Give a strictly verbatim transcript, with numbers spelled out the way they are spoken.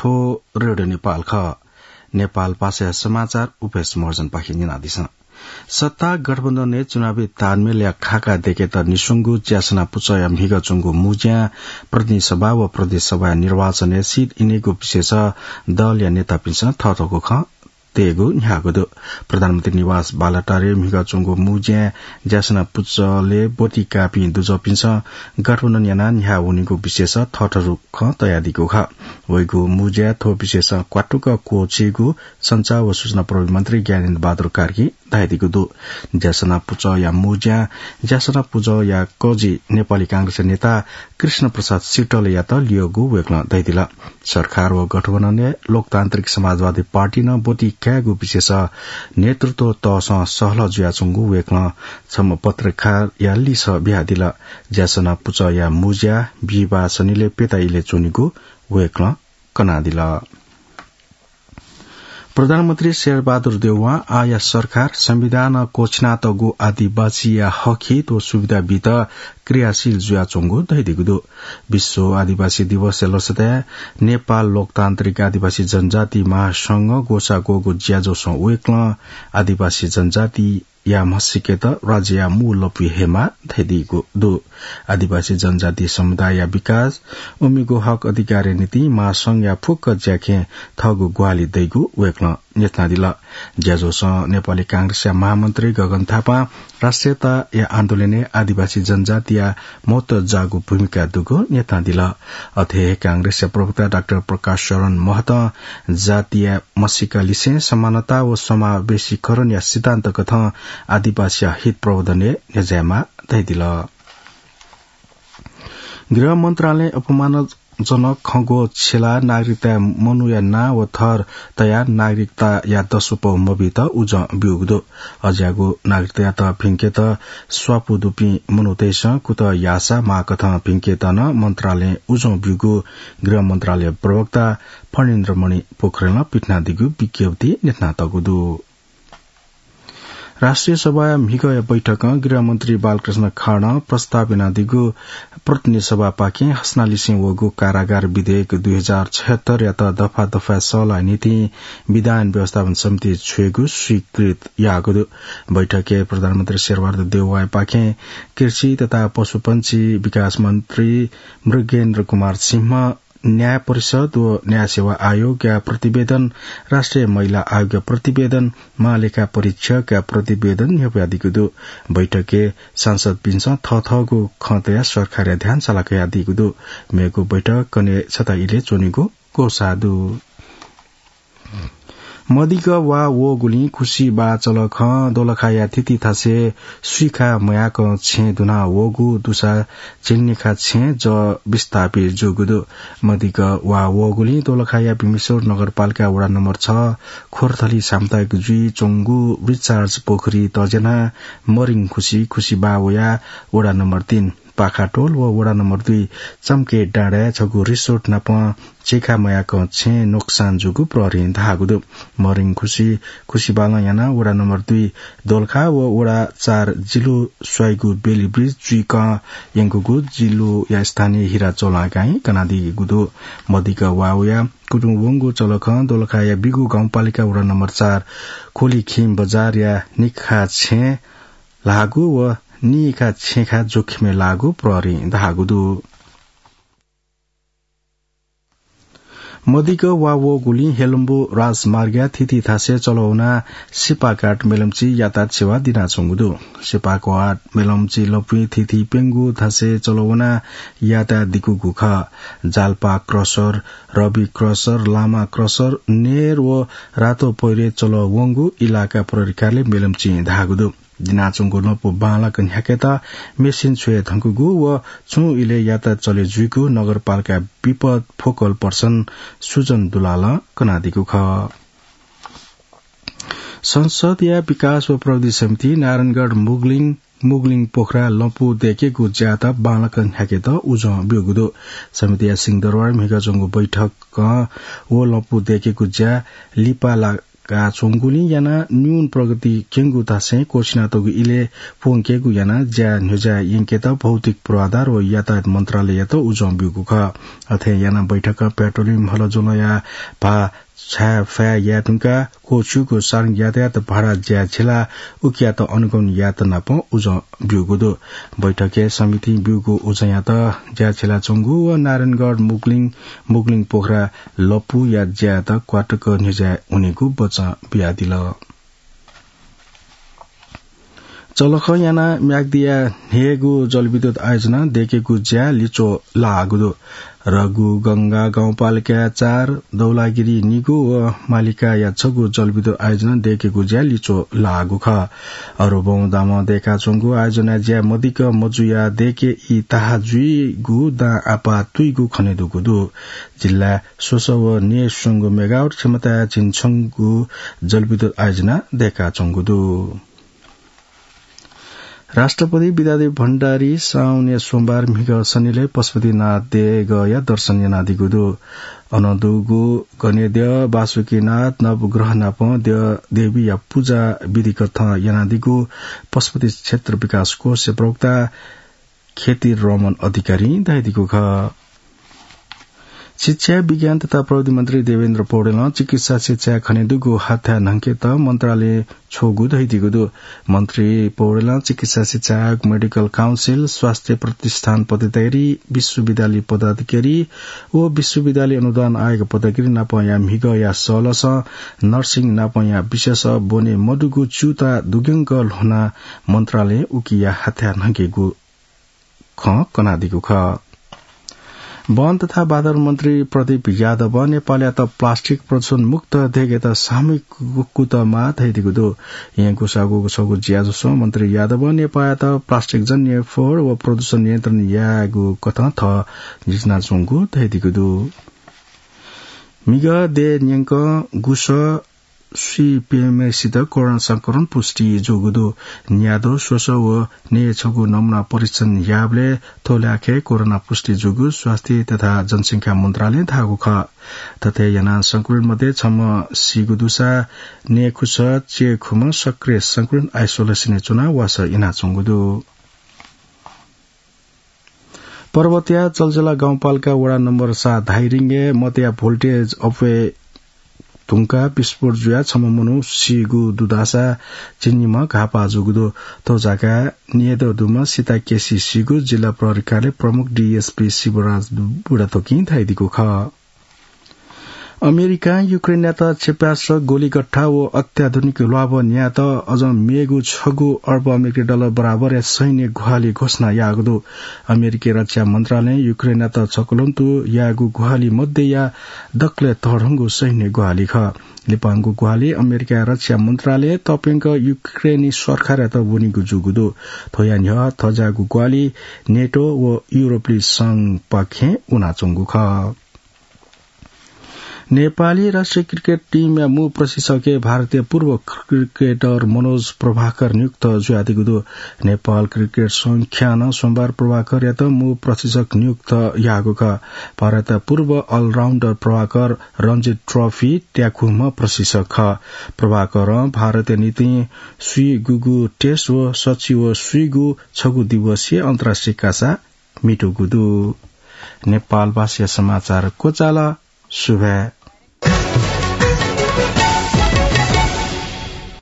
थ्व रेडियो नेपाल खः। नेपाल भाषाया समाचार उपेश महर्जनपाखें न्यनादिसँ। सत्ता गठबन्धनय् चुनावी तालमेलया खाका दय्केत निस्वंगु ज्यासना पुचःया म्हिगः च्वंगु मुँज्यां प्रतिनिधि सभा व प्रदेश सभाया निर्वाचनय् सीट इनेगु विषयस दलया नेतापिन्सं थःथःगु खँ तयेगु न्ह्याःगु दु। प्रधानमन्त्री निवास बालुवाटारय् म्हिगः च्वंगु मुँज्यां ज्यासना पुचलय् ब्वति काःपिं दुजःपिन्सं गठबन्धन यानाः न्ह्याः वनीगु विषयस थःथःगु खँ तयादीगु खः। वइगु मुँज्याय् थ्व विषयस क्वातुक क्वःछिइगु सञ्चार व सूचना प्रविधि मन्त्री ज्ञानेन्द्र बहादुर कार्कीं धयादीगु दु। ज्यासना पुचःया मुँज्यां ज्यासना पुचःया कजि नेपाली कांग्रेसया नेता कृष्ण प्रसाद सिग्टलयात लियोगु वय्कलं धयादिल। सरकार व गठबन्धनय् लोकतान्त्रिक समाजवादी पार्टीं नं ब्वति कायेगु विषयस नेतृत्व तःसं सहलह जुयाच्वंगु वय्कलं छम्ह पत्रकारया लिसः बियादिल। ज्यासना पुचःया मुँज्या बिहिबाः सनिलय् प्यता इलय् च्वनीगु वय्कलं कनादिल। प्रधानमन्त्री शेरबहादुर देउवां आःया सरकार संविधानं क्वःछिनातःगु आदिवासीया हकहित व सुविधा बीत क्रियाशील जुयाच्वंगु धयादीगु दु। विश्व आदिवासी दिवसया लसताय् नेपाल लोकतान्त्रिक आदिवासी जनजाति महासंघं ग्वसाः ग्वःगु ज्याझ्वलय् वय्कलं आदिवासी जनजाति या म्हसीकेत राज्यया मू लँपुइ हयेमाः धयादीगु दु। आदिवासी जनजाति समुदायया विकास, उमिगु हक अधिकारया निंतिं महासंघया फुक्क ज्याखँय् थःगु ग्वाहालि दइगु वय्कलं न्ह्यथनादिल। ज्याझ्वलय् नेपाली कांग्रेसया महामन्त्री गगन थापां राष्ट्रियताया आन्दोलनय् आदिवासी जनजातिया महत्व जाःगु भूमिका दुगु न्ह्यथनादिल। अथे हे कांग्रेसया प्रवक्ता डाक्टर प्रकाश शरण महतं जातिया म्हसीका लिसें समानता व समावेशीकरणया सिद्धान्त कथं आदिवासीया हित प्रवर्धनय् न्ह्यज्यायेमाः धयादिल। गृह मन्त्रालयं अपमानजनक खँग्वः छ्यलाः नागरिकताया मनूया नां व थर तयाः नागरिकताया दसवपौ मबीत उजं ब्यूगु दु। अज्याःगु नागरिकतायात भिंकेत स्वापू दुपिं मनूतय्सं कुतः याःसा माःकथं भिंकेत नं मन्त्रालयं उजं ब्यूगु गृह मन्त्रालय प्रवक्ता फणिन्द्रमणि पोखरेलं पिथनादीगु विज्ञप्तिइ न्ह्यथनातःगु दु। राष्ट्रिय सभाया म्हिगःया बैठकं गृहमन्त्री बालकृष्ण खाँडं प्रस्ताव यानादीगु प्रतिनिधि सभापाखें हसनालिसें वःगु कारागार विधेयक दुई हजार छयहत्तरयात दफा दफाय् सल्लाहया निंतिं विधान व्यवस्थापन समितिइ छ्वयेगु स्वीकृत याःगु दु। बैठकय् प्रधानमन्त्री शेरबहादुर देउवापाखें कृषि तथा पशुपंक्षी विकास मन्त्री मृगेन्द्र कुमार सिंह, न्याय परिषद व न्याय सेवा आयोगया प्रतिवेदन, राष्ट्रिय महिला आयोगया प्रतिवेदन, महालेखा परीक्षकया प्रतिवेदन न्ह्यब्वयादीगु दु। बैठकय् सांसदपिन्सं थःथःगु खँ तयाः सरकारया ध्यान साला कयादीगु दु। मेगु बैठक कन्हय् छता इलय् च्वनीगु ग्वसाः दु। मदिक्क वा वःगुलिं खुसिबाः चलखं दोलखाया थीथी थासय् सुइखा मयाकं छेँ दुना वःगु दुसा झिंनिखा छेँ जः विस्थापित जूगु दु। मदिक्क वा वःगुलिं दोलखाया भीमेश्वर नगरपालिका वडा नम्बर छ खोरथली सामुदायिक जुइ च्वंगु रिचार्ज पोखरी तज्यानाः मरिङ खुसि खुसिबाः वयाः वडा नम्बर तीन पाखाटोल व वडा नम्बर दुई चम्के डाँडाय् छगू रिसोर्ट नाप झिंखा मयाकं छेँ नोक्सान जूगु प्रहरीं धाःगु दु। मरिङ खुसि खुसिबालं यानाः वडा नम्बर दुई दोलखा व वडा चार जिल्हु स्वाइगु बेली ब्रिज जुइकं यंकूगु जिल्हुया स्थानीय हिरा चौलागाईं कनादीगु दु। मदिक्क वा वयाः कुतुं वंगु चलखं दोलखाया बिगु गाउँपालिका वडा नम्बर चार खोलिखिम बजारया निखा छेँ ल्हाःगु व निइखा छेँखा जोखिमय् लाःगु प्रहरीं धाःगु दु। मदिक्क वा वःगुलिं हेलम्बु राजमार्गया थीथी थासय् चलवनाः सिपाघाट मेलम्ची यातायात सेवा दिनाच्वंगु दु। सिपाघाट मेलम्ची लँपुइ थीथी प्यंगू थासय् चलवनाः यातायात दिकूगु खः। जालपा क्रसर, रवि क्रसर, लामा क्रसर, नेर व रातो पैह्रे चलवंगु इलाका प्रहरी कार्यालय मेलम्चीं धाःगु दु। दिनाच्वंगु लँपु बांलाक न्ह्याकेत मेसिन छ्वये धुंकूगु व छुं इलय् यातायात चले जुइगु नगरपालिका विपद फोकल पर्सन सुजन दुलालं कनादीगु खः। संसदया विकास व प्रविधि समितिं नारायणगढ मुगलिङ, मुगलिङ पोखरा लँपु दय्केगु ज्यायात बांलाक न्ह्याकेत उजं ब्यूगु दु। समितिया सिंहदरबारय् म्हिगः च्वंगु बैठकं व लँपु दय्केगु ज्या लिपा ला का च्वंगुलिं यानाः न्यून प्रगति क्यंगु धासें क्वःछिनातःगु इलय् प्वंकेगु यानाः ज्या न्ह्यज्याः यंकेत भौतिक पूर्वाधार व यातायात मन्त्रालययात उजं ब्यूगु खः। अथे यानाः बैठकं पेट्रोलियम हलज्वलंया भाः छाय् फाये याये धुंकाः क्वःछिउगु सार्वजनिक यातायात भाडा ज्या झिला उकियात अनुगमन यायेत नापं उजं ब्यूगु दु। बैठकय् समितिं ब्यूगु उजंयात ज्या झिलाच्वंगु व नारायणगढ मुगलिङ, मुगलिङ पोखरा लपुया ज्यायात क्वातक न्ह्यज्याः वनेगु बचं बियादिल। चलख यानाः म्याग्दिया न्हय्‌गू जलविद्युत आयोजना दय्‌केगु ज्या लिच्वः लाःगु दु। रघुगंगा गाउँपालिकाया चार, दौलागिरी निगू व मालिकाया छगू जलविद्युत आयोजना दय्‌केगु ज्या लिच्वः लाःगु खः। अरुबौं दामं दय्‌काच्वंगु आयोजना ज्या मदिक्क मजुयाः दय्‌के ई ताहा जुइगु दां आपाः तुइगु खनेदुगु दु। जिल्लाय् स्वसः व न्यय्‌स्वंगू मेगावाट क्षमताया झिंछंगू जलविद्युत आयोजना दय्‌काच्वंगु दु। राष्ट्रपति विद्यादेवी भण्डारी साउने सोमबार म्हिगः सनिलय् पशुपतिनाथ देगःया दर्शन यानादीगु दु। अन दुगु गनेद्यः बासुकीनाथ नवग्रह नापं द्यः देवीया पुजा विधिकथं यानादीगु पशुपति क्षेत्र विकास कोषया प्रवक्ता खेतिरमण अधिकारीं धयादीगु खः। शिक्षा, विज्ञान तथा प्रविधि मन्त्री देवेन्द्र पौडेलं चिकित्सा शिक्षाय् खनेदुगु हाथाय् न्हंकेत मन्त्रालयं छ्वःगु धयादीगु दु। मन्त्री पौडेलं चिकित्सा शिक्षा आयोग, मेडिकल काउन्सिल, स्वास्थ्य प्रतिष्ठान पदाधिकारी, विश्वविद्यालय पदाधिकारी व विश्वविद्यालय अनुदान आयोग पदाधिकारी नापंया म्हिगःया सलसं नर्सिङ नापंया विषयस ब्वने मदुगु च्यूताः दुग्यंक ल्ह्वनाः मन्त्रालयं उकिया हाथाय् न्हंकेगु खँ कनादीगु खः। वन तथा वातावरण मन्त्री प्रदीप यादवं नेपालयात प्लास्टिक प्रदूषण मुक्त दय्‌केत सामूहिक कुतः माः धयादीगु दु। येँ गुसाःगु छगू ज्याझ्वलय् मन्त्री यादवं नेपालयात प्लास्टिकजन्य फोहोर व प्रदूषण नियन्त्रण यायेगु कथं थः न्ह्यथनाच्वंगु धयादीगु दु। म्हिगः देय् न्यंकं गुसः स्वीप्यम्हेसित कोरोना संक्रमण पुष्टि जूगु दु। न्याद्वः, स्वसः व नये छगू नमूना परीक्षण याःबलय् थ्व ल्हाखय् कोरोना पुष्टि जूगु स्वास्थ्य तथा जनसंख्या मन्त्रालयं धाःगु खः। थथे यानाः संक्रमित मध्ये छम्ह सीगु दुसा नये खुसः च्यय्‌खुम्ह सक्रिय संक्रमित आइसोलेसनय् च्वनाः वासः यानाच्वंगु दु। पर्वतया चल्चला गाउँपालिका वडा नम्बर सात धाइरिङय् मतया भोल्टेज अप्वये धुंकाः विस्फोट जुयाः छम्ह मनू सीगु दुदासा झिंनिम्ह घाःपाः जूगु दु। थ्व जग्गाय् न्यय्‌दँ दुम्ह सीता केसी सीगु जिल्ला प्रहरी कार्यालय प्रमुख डीएसपी शिवराज बुढाथोकीं धयादीगु खः। अमेरिकां युक्रेनयात क्षेप्यास्त्र, गोलीगट्ठा व अत्याधुनिक ल्वाभः न्यायेत अझ मेगु छगू अर्ब अमेरिकी डलर बराबरया सैन्य ग्वाहालि घोषणा याःगु दु। अमेरिकी रक्षा मन्त्रालयं युक्रेनयात छकलंतु याःगु ग्वाहालि मध्येया दकलय् तःधंगु सैन्य ग्वाहालि खः। लिपांगु ग्वाहालि अमेरिकाया रक्षा मन्त्रालयं तप्यंक युक्रेनी सरकारयात वनीगु जूगु दु। थ्वया न्ह्यः थज्याःगु ग्वाहालि नेटो व युरोपली संघपाखें वनाच्वंगु खः। नेपाली राष्ट्रिय क्रिकेट टिमया मू प्रशिक्षकय् भारतीय पूर्व क्रिकेटर मनोज प्रभाकर नियुक्त जुयादीगु दु। नेपाल क्रिकेट संघं सोमबार प्रभाकरयात मू प्रशिक्षक नियुक्त याःगु खः। भारतया पूर्व अलराउन्डर प्रभाकर रणजी ट्रफी त्याखुम्ह प्रशिक्षक खः। प्रभाकरं भारतया निंतिं स्वीगुगु टेस्ट व सच्छि व स्वीगु छगू दिवसीय अन्तर्राष्ट्रिय कासा म्हितूगु दु। नेपाल भाषाया समाचार क्वचाल। सुभाय्।